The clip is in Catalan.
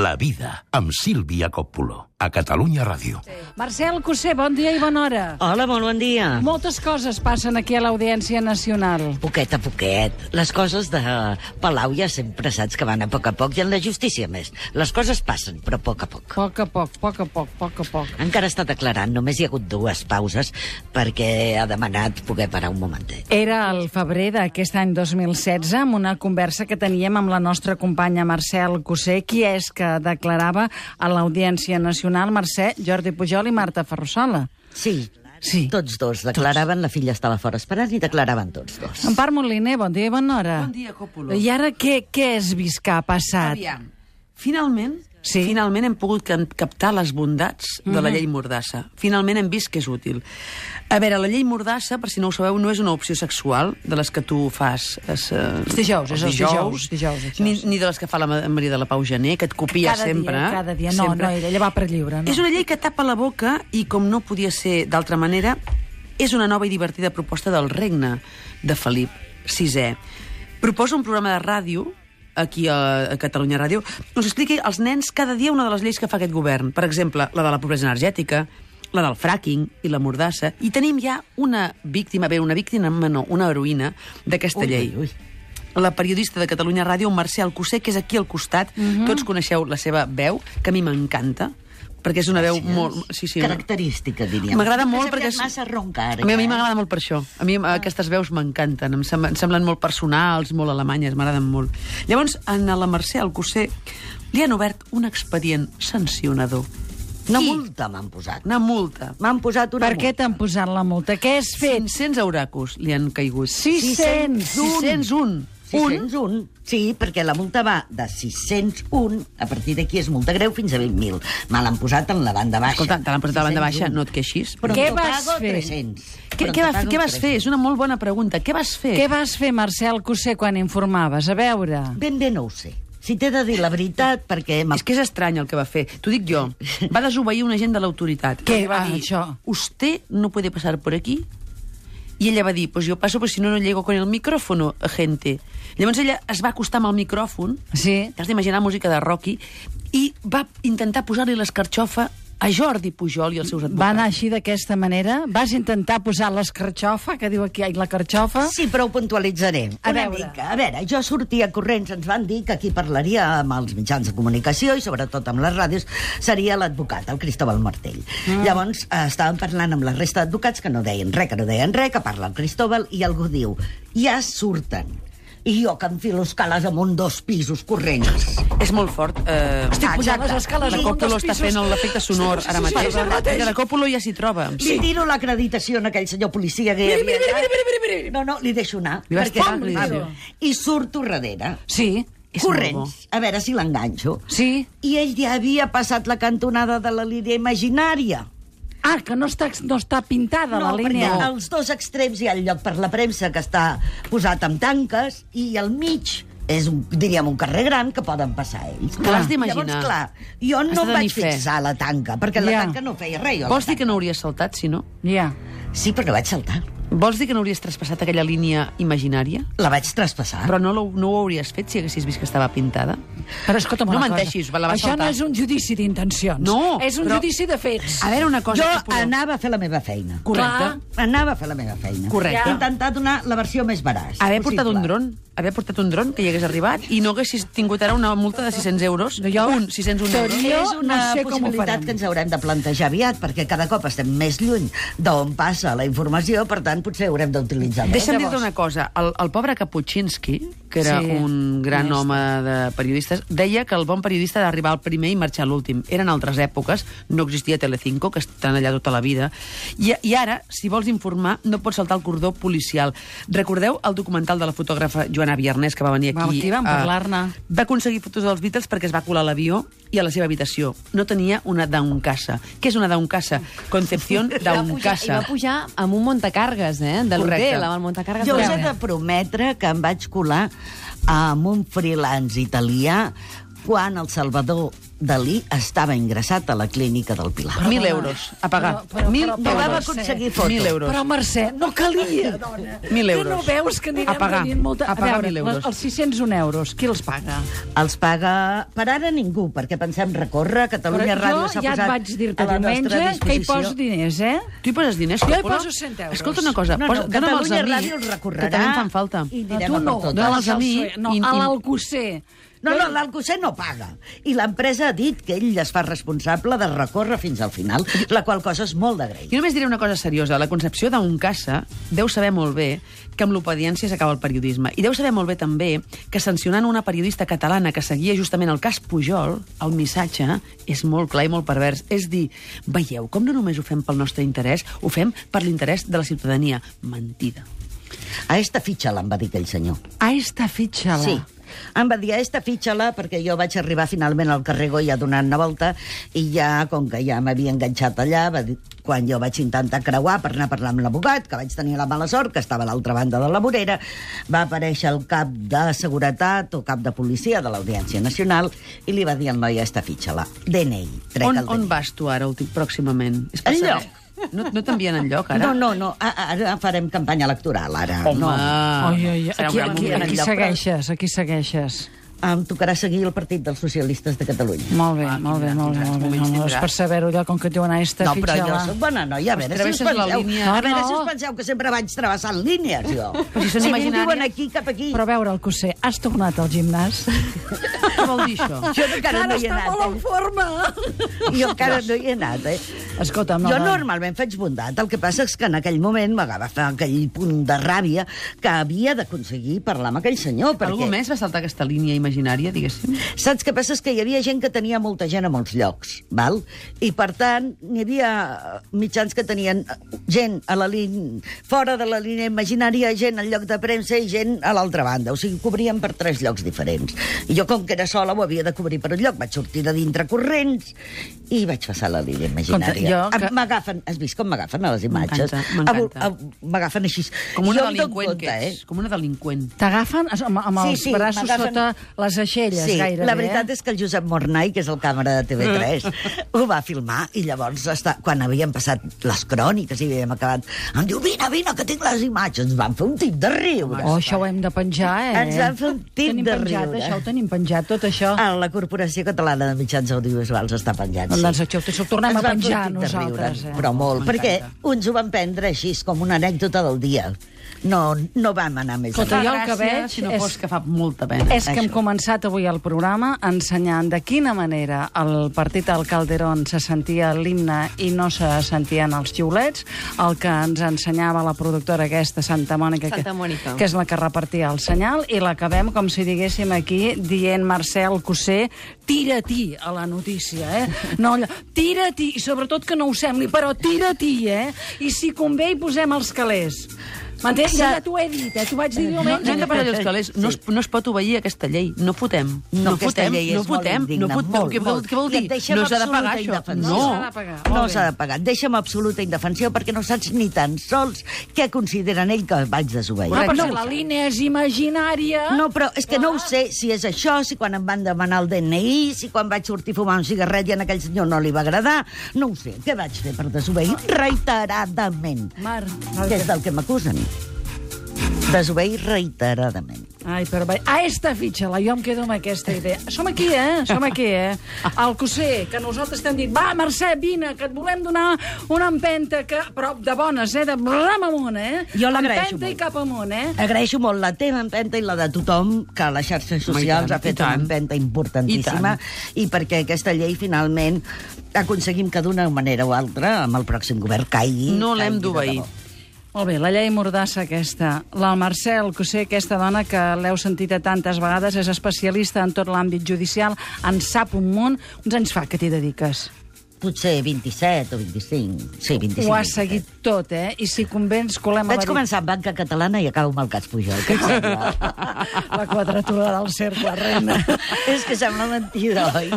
La vida, amb Sílvia Coppola, a Catalunya Ràdio. Marcel Cossé, bon dia i bona hora. Hola, molt bon dia. Moltes coses passen aquí a l'Audiència Nacional. Poquet a poquet. Les coses de Palau ja sempre saps que van a poc, i en la justícia més. Les coses passen, però a poc. A poc. Encara està declarant, només hi ha hagut 2 pauses perquè ha demanat poder parar un momentet. Era el febrer d'aquest any 2016, amb una conversa que teníem amb la nostra companya Marcel Cossé, qui és que declarava a l'Audiència Nacional, Mercè, Jordi Pujol i Marta Ferrusola. Sí, tots 2 declaraven, la filla estava fora esperant i declaraven tots 2. Empar Moliner, bon dia i bona hora. Bon dia, Coppola. I ara què has vist que ha passat? Aviam, finalment hem pogut captar les bondats de la llei Mordassa. Finalment hem vist que és útil. A veure, la llei Mordassa, per si no ho sabeu, no és una opció sexual de les que tu fas els dijous, ni de les que fa la Maria de la Pau Gené, que et copia sempre. Cada dia, no, ella va per lliure. No. És una llei que tapa la boca i, com no podia ser d'altra manera, és una nova i divertida proposta del regne de Felip VI. Proposa un programa de ràdio aquí a Catalunya Ràdio, us expliqui als nens cada dia una de les lleis que fa aquest govern. Per exemple, la de la pobresa energètica, la del fracking i la mordassa. I tenim ja una heroïna d'aquesta llei. La periodista de Catalunya Ràdio, Marcel Cossé, que és aquí al costat. Tots coneixeu la seva veu, que a mi m'encanta, perquè és una veu molt... Característica, diríem. M'agrada molt perquè... Massa roncar. A mi m'agrada molt per això. A mi aquestes veus m'encanten. Em semblen molt personals, molt alemanyes, m'agraden molt. Llavors, a la Marcel Cossé li han obert un expedient sancionador. Una multa m'han posat. Una multa. M'han posat una multa. Per què t'han posat la multa? Què has fet? 500 euracos li han caigut. 601. 601. Sí, perquè la multa va de 601, a partir d'aquí és multa greu, fins a 20.000. Me l'han posat en la banda baixa. Escolta, te l'han posat a la banda baixa, no et queixis. Però què vas fer? 300. Què vas fer? És una molt bona pregunta. Què vas fer? Què vas fer, Marcel Cossé, quan informaves? A veure... Ben bé no ho sé. Si t'he de dir la veritat, perquè... És que és estrany el que va fer. T'ho dic jo. Va desobeir un agent de l'autoritat. Què va dir? Això? Usted no puede pasar por aquí. I ella va dir, pues yo paso, pues si no, no llego con el micrófono, gente. Llavors ella es va acostar amb el micròfon, t'has d'imaginar música de Rocky, i va intentar posar-li l'escarxofa a Jordi Pujol i els seus advocats. Va anar així d'aquesta manera? Vas intentar posar l'escarxofa, que diu aquí, la carxofa? Sí, però ho puntualitzaré. Una mica. A veure, jo sortia corrents, ens van dir que qui parlaria amb els mitjans de comunicació i sobretot amb les ràdios seria l'advocat, el Cristóbal Martell. Llavors estàvem parlant amb la resta d'advocats que no deien res, que parla el Cristóbal i algú diu, ja surten. I jo que enfilo escales amunt 2 pisos corrents. És molt fort. Estic pujant les escales amunt 2 pisos. La Coppola està fent l'efecte sonor ara mateix. La Coppola ja s'hi troba. Li tiro l'acreditació a aquell senyor policia que hi havia allà. No, li deixo anar. I surto darrere. Sí. Corrents. A veure si l'enganxo. Sí. I ell ja havia passat la cantonada de la línia imaginària. Ah, que no està pintada la línia. No, perquè als 2 extrems hi ha el lloc per la premsa que està posat amb tanques i al mig és, diríem, un carrer gran que poden passar ells. T'has d'imaginar. Llavors, clar, jo no vaig fixar la tanca, perquè la tanca no feia res. Vols dir que no hauries saltat, si no? Ja. Sí, però no vaig saltar. Vols dir que no hauries traspassat aquella línia imaginària? La vaig traspassar. Però no ho hauries fet si haguessis vist que estava pintada? Però escolta'm una cosa. No menteixis, la vas saltar. Això no és un judici d'intencions. No. És un judici de fets. A veure, una cosa... Jo anava a fer la meva feina. Correcte. Anava a fer la meva feina. Correcte. Intentar donar la versió més veraç. Haver portat un dron que hi hagués arribat i no haguessis tingut ara una multa de 600 euros. 601 euros. És una possibilitat que ens haurem de plantejar aviat, perquè cada cop estem més lluny d'on passa la informació, per tant, potser haurem d'utilitzar. Deixa'm dir-te una cosa. El pobre Kapuscinski, que era un gran home de periodistes, deia que el bon periodista ha d'arribar al primer i marxar a l'últim. Eren altres èpoques, no existia Telecinco, que estan allà tota la vida, i ara, si vols informar, no pots saltar el cordó policial. Recordeu el documental de la fotògrafa Joana Viernès, que va venir aquí? Aquí vam parlar-ne. Va aconseguir fotos dels Beatles perquè es va colar a l'avió i a la seva habitació. No tenia una Downcasa. Què és una Downcasa? Concepción Downcasa. I va pujar amb un muntacargues, de l'hotel, amb el muntacargues. Jo us he de prometre que em vaig colar amb un freelance italià quan el Salvador Dalí estava ingressat a la clínica del Pilar. 1.000 euros a pagar. Però, 1.000 però, No vam euros. aconseguir foto. 1.000 euros. Però, Mercè, no calia, dona. 1.000 euros. Tu no veus que anirem A pagar. tenint molta... A pagar veure, 1.000 euros. Els 601 euros, qui els paga? Els paga per ara ningú, perquè pensem recórrer. Catalunya Ràdio s'ha jo ja et posat vaig dir-te a la nostra diumenge que hi disposició. poso diners, Tu hi poses diners, Jo hi Coppola? poso 100 euros. Escolta una cosa, No, dona'm els a Catalunya mi, Ràdio els recorrerà. que també em fan falta. I No, anirem tu a no, per totes. Dona'ls a mi. No, a l'Alcosser. No, l'Alcosser no paga. I l'empresa ha dit que ell es fa responsable de recórrer fins al final, la qual cosa és molt d'agrair. Jo només diré una cosa seriosa. La Concepció d'un caça deu saber molt bé que amb l'obediència s'acaba el periodisme. I deu saber molt bé també que sancionant una periodista catalana que seguia justament el cas Pujol, el missatge és molt clar i molt pervers. És dir, veieu com no només ho fem pel nostre interès, ho fem per l'interès de la ciutadania. Mentida. A esta fitxa-la, em va dir aquell senyor. A esta fitxa-la. Sí. Em va dir, a esta fitxa-la, perquè jo vaig arribar finalment al carrer Goya donant una volta i ja, com que ja m'havia enganxat allà, va dir, quan jo vaig intentar creuar per anar a parlar amb l'abogat, que vaig tenir la mala sort, que estava a l'altra banda de la vorera, va aparèixer el cap de seguretat o cap de policia de l'Audiència Nacional i li va dir al noi, a esta fitxa-la, DNI. Trec el On DNI. vas tu ara, pròximament? És per Enlloc. saber. No t'envien enlloc, ara? No, ara farem campanya electoral, ara. Home, No. Ai, serà un gran aquí moment. enlloc, segueixes, aquí segueixes. Em tocarà seguir el Partit dels Socialistes de Catalunya. Molt bé, Ah, molt bé, tindràs, molt bé. quins Molt bé. moments No, és tindràs. per saber-ho allò, com que diuen a esta No, però jo fitxa-la. soc bona noia, a veure si us travesses la penseu... línia. A veure No, si no. us penseu que sempre vaig travessant línies, jo. si són si imaginàries. diuen aquí, cap aquí. Però a veure, el Cosser, has tornat al gimnàs? Què vol dir això? Jo encara no hi he està molt en anat, forma. Jo encara no hi he anat, Escolta'm, no, Jo no. normalment faig bondat, el que passa és que en aquell moment m'agafava aquell punt de ràbia que havia d'aconseguir parlar amb aquell senyor, perquè... Algú més va saltar aquesta línia imaginària, diguéssim? Saps què passa? És que hi havia gent que tenia molta gent a molts llocs, val? I, per tant, hi havia mitjans que tenien gent a la línia, fora de la línia imaginària, gent al lloc de premsa i gent a l'altra banda. O sigui, cobrien per 3 llocs diferents. I jo, com que era sola, ho havia de cobrir per un lloc. Vaig sortir de dintre corrents i vaig passar la línia imaginària. M'agafen, has vist com m'agafen a les imatges? M'encanta. M'agafen així. Com una Jo em dono delinqüent compte, que ets. Com una delinqüent. T'agafen amb els Sí, braços m'agafen- sota les aixelles, Sí, gairebé. la veritat és que el Josep Mornay, que és el càmera de TV3, ho va filmar i llavors, quan havíem passat les cròniques i havíem acabat, em diu, vine, que tinc les imatges. Ens van fer un tip de riure. Oh, això ho hem de penjar, Ens van fer un tip tenim de penjat, riure. Això ho tenim penjat, tot això. A la Corporació Catalana de Mitjans Audiovisuals està penjat, sí. Doncs això ho tornem Ens a van fer un penjar tip de nosaltres. riure, però molt, perquè uns ho van prendre així, com una anècdota del dia. No vam anar més Escolta, enllà. jo el que veig si no és- fos que fa molta pena. És que hem Això. començat avui el programa ensenyant de quina manera el partit del Calderón se sentia l'himne i no se sentien els xiulets, el que ens ensenyava la productora aquesta, Santa Mònica, Santa Mònica. que és la que repartia el senyal, i l'acabem, com si diguéssim aquí, dient Marcel Cosser, tira-t'hi a la notícia, No, tira-t'hi, i sobretot que no ho sembli, però tira-t'hi, I si convé hi posem els calés. M'entens? Ja t'ho he dit, t'ho vaig dir No diumenge. hem de parlar dels calés. No es pot obeir aquesta llei. No fotem. No, aquesta llei és molt indigna, molt. Què vol dir? I et deixem No s'ha de pagar, absoluta això. indefensió. No s'ha No. de pagar. No Molt s'ha bé. de pagar. Deixa'm absoluta indefensió perquè no saps ni tan sols què consideren ell que vaig desobeir. Ah, però no, si la línia és imaginària... no, però és que no ho sé si és això, si quan em van demanar el DNI, si quan vaig sortir a fumar un cigarret i a aquell senyor no li va agradar. No ho sé. Què vaig fer per desobeir? Reiteradament. Que és del que m'acusen. Desobeir reiteradament. Ai, però bé. A esta fitxa-la, jo em quedo amb aquesta idea. Som aquí, Som aquí, El Cosser, que nosaltres t'hem dit, va, Mercè, vine, que et volem donar una empenta, però de bones, de ram amunt, Jo l'agraeixo Empenta i molt. cap amunt, Agraeixo molt la teva empenta i la de tothom, que a les xarxes socials ha fet una empenta importantíssima, i perquè aquesta llei finalment aconseguim que d'una manera o altra amb el pròxim govern caigui. No l'hem caigui de d'obeir. debò. Molt bé, la llei mordassa aquesta. La Marcel Cosser, aquesta dona que l'heu sentit a tantes vegades, és especialista en tot l'àmbit judicial, en sap un munt. Uns anys fa que t'hi dediques? Potser 27 o 25. Sí, 25. Ho has seguit tot, I si convé ens colem a Vaig començar amb banca catalana i acabo amb el cas Pujol. Què et sembla? la quadratura del cercle, reina. És que sembla mentida, oi?